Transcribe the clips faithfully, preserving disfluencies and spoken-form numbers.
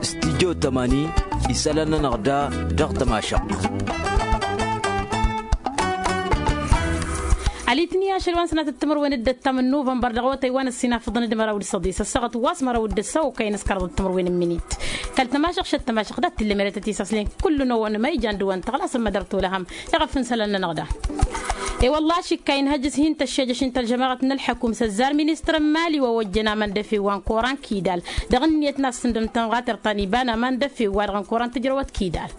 Studyo tămani isălan-nănăɣ da dăɣ-tămašăɣt. Alitni ašăl wa n-sănatăt timărwen d-ăttam n-nuvănbăr dăɣ-awătay wa n-ăssinafăḍăn d-măraw d-săḍis ăssaɣăt wa s-măraw d-ăssaɣ okăyăn s-kăraḍăt timărwen n-minit. Kăl-tămašăɣ šăt tămašăɣ dat-t-illa merătăt isaslen kullu n-ăwwăn ma ijan d-ăwwăn tăɣlasăm mădăr tolăhăm. Iɣăf n-isălan-nănăɣ da. E-wălla ašikka inhăjj s-hin-tăššejăš n-tălžămaɣăt n-ălḥăkum s-ăzzar ministăr n-mali wa ojjăn aman d-efew wa n-koran kidal dăɣ-ǝnniyăt n-ad-sǝndăm tămɣatert ta n-iba n-aman d-efew wa dăɣ-n koran tǝjrăwăt kidal.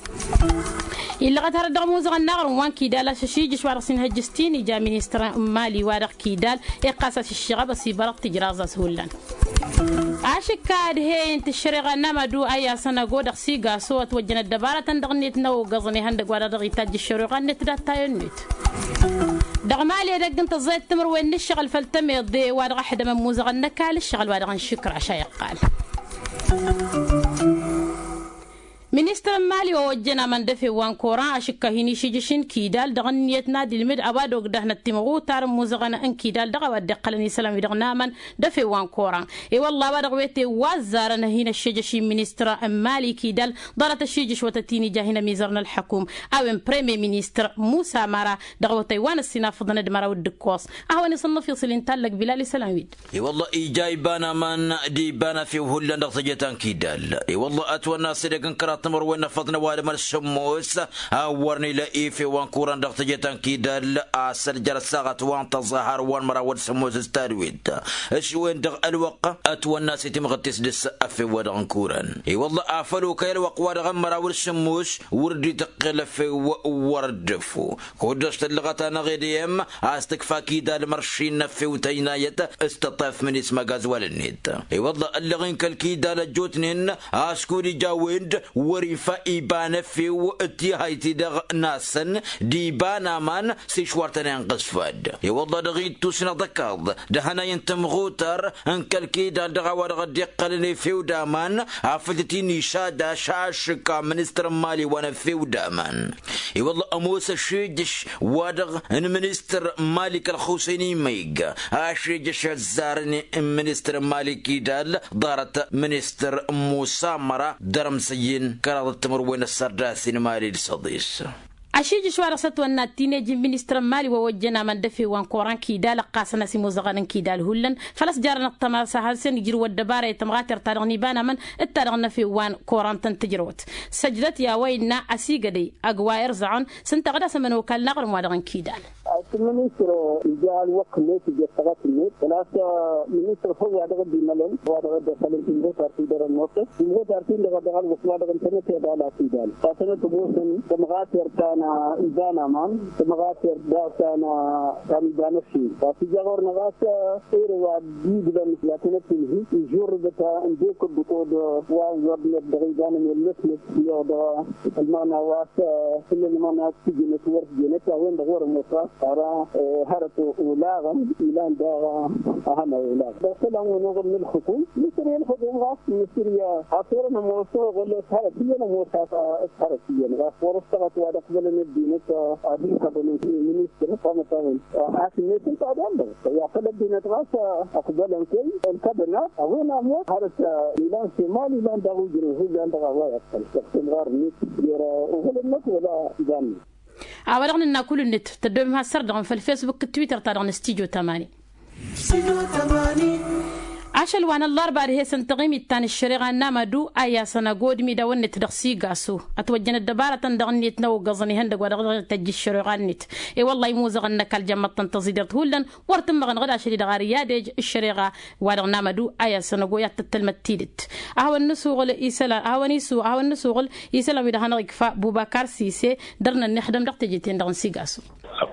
Illăɣăt hărăt dăɣ-imuzăɣăn n-aɣrǝm wa n-kidal a-s ašijǝš wa dăɣ-s inhăjj s-tinija ministăr n-mali wa dăɣ-kidal iqqas a-s iššăɣăb ăsibărăɣ tǝjraẓ a-s hullan. Ašǝkka ad-he-ǝnta ăššăreɣa n-amadu a i-asăn ăgo dăɣ-sigaso ătwăjjăn ăddăbarătăn dăɣ-net n-ăwwăgăẓăn ihăndăgg wa dăɣ-dăɣ itajj ăššăreɣa-net dat-tayăn-net. Dăɣ-mali edăgg n-tăẓẓayăt timǝrwen n-ǝššăɣǝl făll-tămeḍe wa dăɣ-ăḥdămăn imuzăɣăn n-ăkall ǝššăɣǝl wa dăɣ-n šǝkra ašayăɣ qal. Ministăr n-mali wa ojjăn aman d-efew wa n-koran ašǝkka hin-išijǝš n-kidal dăɣ-ǝnniyăt n-ad-ilmǝd a-wa d-ogdăhnăt timɣutar n-imuzăɣăn n-kidal dăɣ-a-wa dd-iqqălăn isălan-wi-dăɣ n-aman d-efew wa n-koran. I-wălla a-wa dăɣ-wete wa ăzzarăn hin-ăššejăš-in ministăr n-mali kidal ḍarăt ăššijǝš wa tăt-in-ija hin-ămizăr n-ălḥăkum a-wen premier ministăr musa mara dăɣ-awătay wa n-ăssinafăḍăn d-măraw d-ǝkkoẓ. A hawăn-isănnăf iṣǝl-in tallăg bilal isălan-wi-dd. I-wălla ija iba n-aman d-iba n-efew hullan dăɣ-teje ta n-kidal. I-wălla ătwănna s-edăgg n-kăraḍ timărwen n-efăḍăn ăwadǝm d-sǝmmos a wăr nila efew wa n-kuran dăɣ-teje ta n-kidal a-s ăljar ăssaɣăt wa n-tăẓẓa har wa n-măraw d-sǝmmos s-tadwet. S-wen-dăɣ ălwăqq ătwănna s-itimɣǝt-t-s dăɣ-s efew wa dăɣ-n kuran. I-wălla afăl okăy ălwăqq wa dăɣ-n măraw d-sǝmmos wăr dd-ităqqel efew wăr dd-effu. Kud-dăɣ s-tăllăɣăt-anăɣ edăyăm a-s tǝkfa kidal mărši n-efew tăjnayăt s-tăṭṭef mǝnis măgazwal-net. I-wălla ăllăɣ-in kăl-kidal ăjjootnen a-s kud-ija a-wen-dd wăr-ifa iba n-efew d-tihayt-i-dăɣ n-asăn d-iba n-aman s-išwar tăn-inɣǝsfad. I-wălla dăɣ-ittus n-aḍăkaḍ d-ehănay n-timɣutar n-kăl-kidal dăɣ-a-wa dăɣ-dd-iqqălăn efew d-aman afăl tăt-in-išadaš ašǝkka ministăr n-mali wa n-efew d-aman. I-wălla ămoos ăššejăš wa-dăɣ n-ministăr n-mali kăl-xusăyni măyg aššejăš ăzzarăn n-ministăr n-mali kidal ḍarăt ministăr n-musa măra dăr-ămsăyyin kăraḍăt timǝrwen ăssărdasin mali d-săḍis. Ašijǝš wa dăɣ-s ătwănna tinejin ministăr n-mali wa ojjăn aman d-efew wa n-koran kidal ăqqasăn a-s imuzăɣăn n-kidal hullan făl-ăsjarăn ăṭṭăma s-ad-hasăn ijrǝw ăddăbara i-tămɣatert-ta-dăɣ n-iba n-amăn d-ta-dăɣ n-efew wa n-koran tăn-tǝjrăwăt. Săjdăt i-a-wa innă ăsigădăy ăgg wa irẓăɣăn s-ǝnta ɣǝd-asăn ămănokal n-aɣrǝm wa dăɣ-n kidal. Ăsministăr ija ălwăqq-net ija ăssaɣăt-net făl-a-s ministăr făw wa dăɣ-dd-imălăn wa dăɣ-dd-ăsălăn timrăt ar t-idărăn mosăt timrăt ar t-indăɣ dăɣ-ălwăqq wa dăɣ-n tănăt i-ad-ala tidal. Tasănăt ămoosăn tămɣatert ta n-iba n-aman tămɣatert daɣ ta n-iba n-ăššin ta s-ija ɣur-năɣ a-s ere wa dd-iglăn i-ad-tănăt-inhi ižurrǝbăt ǝndek ǝddǝṭoḍ wa n-wăr-net dăɣ-iba n-emellăsnăt i-dăɣ ălmăɣna wa s-făll-ălmăɣna s-tǝjǝnăt wăr tǝjǝnăt a-wen-dăɣ wăr-ămoos ɣas ara hărăt olaɣăn ilan daɣ. Ahăna olaɣăn dăɣ-isălan-wen-dăɣ n-ǝlxǝkum mǝsri ǝlxǝkum ɣas mǝsri a-s wăr-ănămoos oɣǝl s-hărăt iyyăn ămoos a-s hărăt iyyăn ɣas wăr-ăstăɣăt wa d-ăqbălăn ăddinăt ad-inkăḍăn ministăr s-amătawăn. Asǝnnet ǝnta d-wăr-dăɣ i-afăl ăddinăt ɣas ăqbălăn kăy-ǝnkăbăn a-s a-wen ămoos hărăt ilan s-iman ilan daɣ ujrăn hullan dăɣ-a-wa iqqăl dăɣ-timɣar-net jer-oɣǝl-net wăla iba-net. A-wa-dăɣ nǝnna kull-net tăddomem has-săr-dăɣ n-făll-fesbuk d-twitter-ta-dăɣ n-studyo tămani. Ašăl wa n-ăllarba ad-he-săn taɣimit ta n-ăššăreɣa n-amadu a i-asăn ăgodmi d-a-wăn-net dăɣ-sigasu ătwăjjăn ăddăbarătăn dăɣ-net n-awăggăẓăn ihăndăgg wa dăɣ-dăɣ-tăjj ăššăreɣa-net. I-wălla imuzăɣăn n-ăkall jămmăḍ-tăn tăẓidert hullan wăr tǝmmăɣăn ɣǝd ašăl-i-dăɣ ar i-ad-ej ăššăreɣa wa-dăɣ n-amadu a i-asăn ăgo i-ad-tăttălmăt tidǝt. Ad-hawăn-nǝsuɣǝl isălan ad-hawăn-isuɣǝl ad-hawăn-nǝsuɣǝl isălan wi dăɣ-hanăɣ-ikfa bubakar sise dăr-nănnăy ăxdăm dăɣ-teje-ten-dăɣ n-sigasu.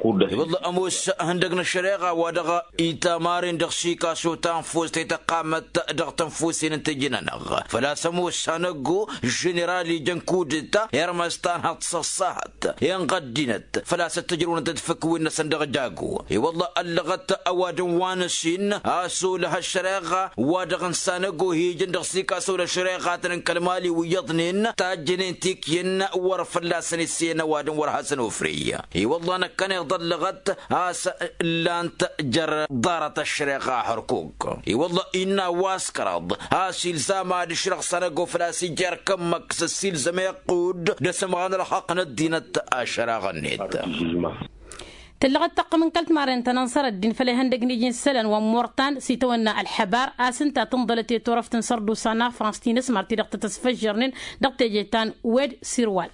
I-wălla ămoos ihăndăg n-ăššăreɣa wa dăɣ-itamaren dăɣ-sikaso tanfust i-tăqqamăt dăɣ-tănfusen n-tejǝn-anăɣ făl-a-s ămoos hanăggo ženeral ijăn kudǝta i-armăstan hăḍsăssahăt inɣăddinăt făl-a-s ăttăjrăwnăt d-făkwen-năsăn dăɣ-jago. I-wălla ăllăɣăt ăwadǝm wa n-ăsin a-s olăh ăššăreɣa wa dăɣ-n sanăggo hi-ijăn dăɣ-sikaso d-ăššăreɣatăn n-kăl-mali wi iyyăḍnen tajjănen tikyăn wăr fălla-săn issăyăn ăwadǝm wăr hasăn-ofrey. I-wălla năkkăneḍ ăllăɣăt a-s ǝllan-t jer-ḍarăt ăššăreɣa hărkuk. I-wălla Innă a-wa s-kăraḍ a-s ilzam ad-ǝšrăɣ s-anăggo făl-a-s ija erk ămmăk s-ăssiilzăm iqqud d-asǝmɣan ălxaqq n-ăddinăt. Ašăraɣ-net. Tǝllăɣăt taqqǝm n-kăl-timarren ta n-ănṣăr ăddin făll-ihăndăg n-iji n-isălan wa n-imurtan s-itawănna ălḥăbar a-s ǝnta a tǝnḍălăt i-turăft n-sărdusa n-afrans ti n-asmar ti-dăɣ tăt-ăsfăžžărnen dăɣ-teje ta n-wed sirwal.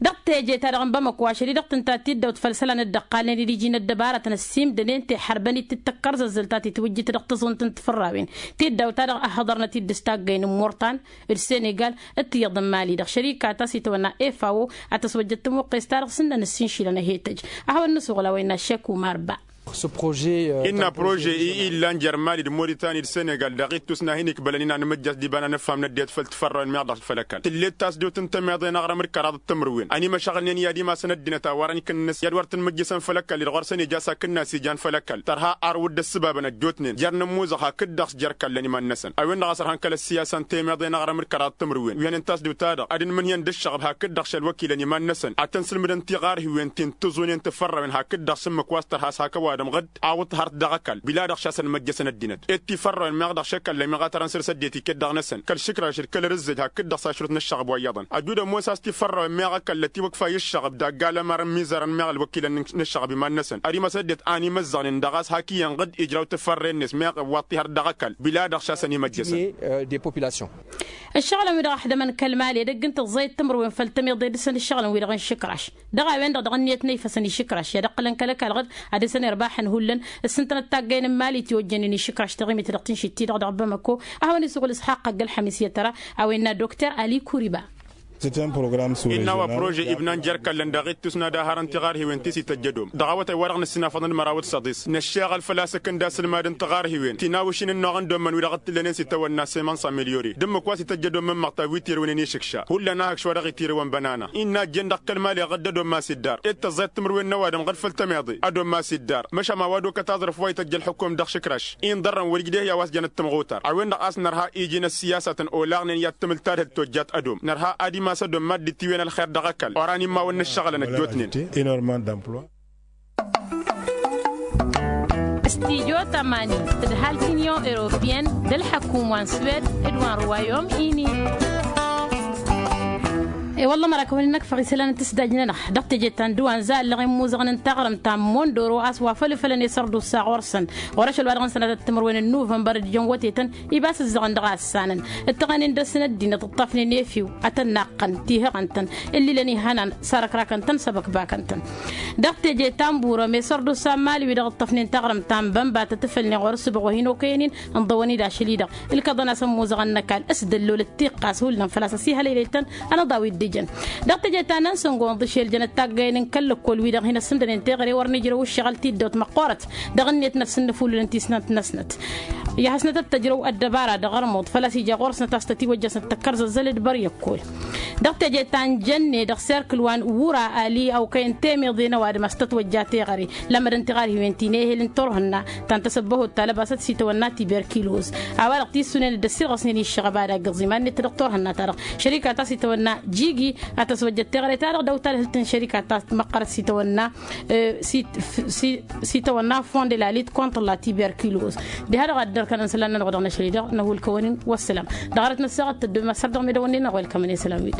Dăɣ-teje-ta-dăɣ n-bamăko ašăl-i-dăɣ tǝnta tiddawt făll-isălan dd-ăqqalnen d-iji n-ăddăbarătăn ăssiimdănen tehărbăn-dd tǝkkăr zăzzăl ta titwǝjjǝt dăɣ-tăẓunt n-tifărrawen. Tiddawt-ta-dăɣ ăhhăḍărnăt-dd s-taggăyăn n-imurtan d-senegal d-tiyyăḍ n-mali-dăɣ šărika ta s-itawănna f a o a tăswăjjăt tămuqqes-ta-dăɣ s-ǝnnăn ǝssinšilăn ăhetăj. Ad-hawăn-nǝsuɣǝl a-wa innă ăššek umar ba. Innă prože-i illan jer-mali d-moritani d-senegal dăɣ-ittus n-ad-hin-ikbălăn-in ad-nǝmǝjjăs d-iba n-ad-nǝfham n-ăddinăt făll-tifărrawen meɣ dăɣ-făll-ăkall tǝllet tasdewt n-tămeḍe n-aɣrǝm d-kăraḍ d-timǝrwen ănimăšăɣǝlnen i-ad-imasăn ăddinăt a wărăn ikǝnnǝs i-ad-wăr tǝnmǝjjǝsăn făll-ăkall-i-dăɣ ɣur-săn ija s-akǝnnas ijan făll-ăkall tărha arwǝd d-ăssǝbabăn ăjjootnen jer-nǝmmuzăɣ hakd-dăɣ s-jer-kallăn iman-năsăn a-wen-dăɣ a sărhăn kăl-ăssiyasa n-temeḍe n-aɣrǝm d-kăraḍ d-timǝrwen wi hănen tasdewt-ta-dăɣ ad-ǝnmǝnhǝyăn d-ǝššăɣăb hakd-dăɣ šălwăkilăn iman-năsăn ad-tăn-sǝlmǝdăn tiɣarhiwen ti n-tǝẓunen tǝfărrawen hakd-dăɣ s-ǝmmǝk wa s-tărha s-hak ăwadǝm ɣǝd awǝḍ hărăt dăɣ-ăkall bila-dăɣ šasăn măjjăsăn ăddinăt. Ed tifărrawen meɣ dăɣ-šekallăn meɣ a tărăn săr-s ăddinăt iket dăɣ-năsăn kăl-išǝkraš d-kăl-ărǝzzej hakd-dăɣ s-ašrut n-ăššăɣb wa iyyăḍăn ăjud ămoos a-s tifărrawen meɣ ăkall ătiwǝkfay ǝššăɣb dagg-alămar n-imizărăn meɣ ălwăkilăn n-ăššăɣb iman-năsăn ad-imăs ăddinăt a ănimăzzăɣnen dăɣ-a-s hak iyyăn ɣǝd ijraw tǝfărre-net meɣ iwwaḍ tihărt dăɣ-ăkall bila-dăɣ šasăn imăjjăsăn. Ǝššăɣǝlăn-wi-dăɣ ăḥdămăn kăl-mali edăgg n-tǝẓẓayăt timǝrwen făll-tămiḍe dăɣ-săn ǝššăɣǝlăn-wi-dăɣ n-išǝkraš dăɣ-a-wen-dăɣ dăɣ-ǝnniyăt n-ifăsăn išǝkraš i-ad-ǝqqǝlăn kăl-ăkall ɣǝd ad-dăr-săn irbaxăn hullan. S-ǝntănăt taggăyăn n-mali tiwăjjănen išǝkraš taɣimit dăɣ-tǝnšit-ti-dăɣ dăɣ-bamăko. A hawăn-isuɣǝl s-haqqăg ălxămis i-ad-tăra a-wa innă dokter ali kuriba. Innă a-wa prože ibnan jer-kallăn dăɣ-ittus n-ad-ahărăn tiɣarhiwen ti s-ităjj ădom dăɣ-awătay wa dăɣ-nǝssinafăḍăn d-măraw d-săḍis năššeɣăl făl-a-s ǝkǝnda asǝlmad n-tiɣarhiwen ti n-awǝšin ǝnnuɣ n-dommăn wi-dăɣ t-tǝllănen s-itawănna semănsa milyori d-ǝmmǝk wa s-ităjj ădommăn măɣta wi tirǝwnen išǝkša hullan a hak šwa dăɣ-itirǝwăn bănana. Innă ăjjeen dăɣ-kăl-mali ɣǝd d-ădommasi dd-ar ed tăẓẓayăt timǝrwen n-ăwadǝm ɣǝd făll-tămeḍe ădommasi dd-ar măšan a-wa dokăt aẓrǝf wa ităjj ălxǝkkum dăɣ-išǝkraš inḍărrăn wăr-ijdehyawasjăn d-tǝmɣutar a-wen-dăɣ a-s nărha iji n-ăssiyasatăn olaɣnen i-ad-tǝmǝl tadhǝlt tojjat ădom nărha ad-imas ădom mad-dd-tiwǝyăn ălxer dăɣ-ăkall oran immawăn n-ǝššăɣǝlăn ăjjootnen. Studyo tămani tǝdhal t-inyon europiyăn d-ălḥăkum wa n-swed d-wa n-ruwayom ini. I-wălla mărakăwăn-in-năkfăɣ isălan n-tǝsdaj-nănăɣ dăɣ-teje ta n-dăwan zallăɣ immuzăɣăn n-taɣrǝmt ta n-mondoro a-s wa făl ǝfălăn i-sărdusa ɣur-săn ɣur-ašăl wa dăɣ-n sănatăt timǝrwen n-nuvănbăr d-ijăn wătetăn. Ibas ǝzzăɣăn dăɣ-a ǝssanăn ǝttăɣăn-in dăr-s n-ăddinăt ǝṭṭafnen i-efiw ad-tăn-naqqăn tihăɣăn-tăn ǝllilăn ihănan sarăkrakăn-tăn săbăkbakăn-tăn. Dăɣ-teje ta n-burăm i-sărdusa n-mali wi-dăɣ ǝṭṭăfnen taɣrǝmt ta n-bănba tăt-ǝfălnen ɣur-ǝssǝbăɣ wa hin-okăyăn-in ǝnḍăwăn-dd ašăl-i-dăɣ ǝlkăḍăn-as ămmuzăɣăn n-ăkall s-dăllolăt tiqqas hullan făl-a-s ăsihălăylăy-tăn. Ănăḍaw-dd ǝjăn dăɣ-teje ta n-ansăngo ǝnḍǝšel jăn ăttaggăyăn n-kăl-lăkkol-wi-dăɣ hin-ăssǝndănen teɣăre wăr nǝjrăw ǝššăɣǝl tiddawt măqqoorăt dăɣ-ǝnniyăt n-ad-sǝnnǝfulǝlăn tisnant-năsnăt. I-ad-hasnăt ăttăjrăw ăddăbara dăɣ-ărmuḍ făl-a-s ija ɣur-snăt a-s tătiwăjjăsnăt tăkkăr zăzzălăt băr i-ăkkol. Dăɣ-teje ta n-jănne dăɣ-serkǝl wa n-wura ali ăwkăyăn temeḍe n-ăwadǝm a-s tătwăjja teɣăre lămmădăn tiɣarhiwen ti n-ehel n-turhǝnna ta n-tasăbbăhut ta lăbasăt s-itawănna tiberkilos. A-wa-dăɣ tissunen dd-ăssirɣăsnen i-ǝššăɣăb ad-aggăẓ iman-net dăɣ-turhǝnna-ta-dăɣ šărika ta s-itawănna jigi a tăswăjjăt teɣăre-ta-dăɣ dăw-talhǝlt n-šărika ta măqqărăt s-itawănna s-itawănna fond de la lit contre la tiberkilos. Diha-dăɣ ad-dd-ărkănăn isălan-nănăɣ dăɣ-năšăl-i-dăɣ năhulkăwăn-in wăssălam. Dăɣ-arăt n-ăssaɣăt tăddom asărdăɣ meddăwăn-nin-năɣ welkămăn i-isălan-wi-dăɣ.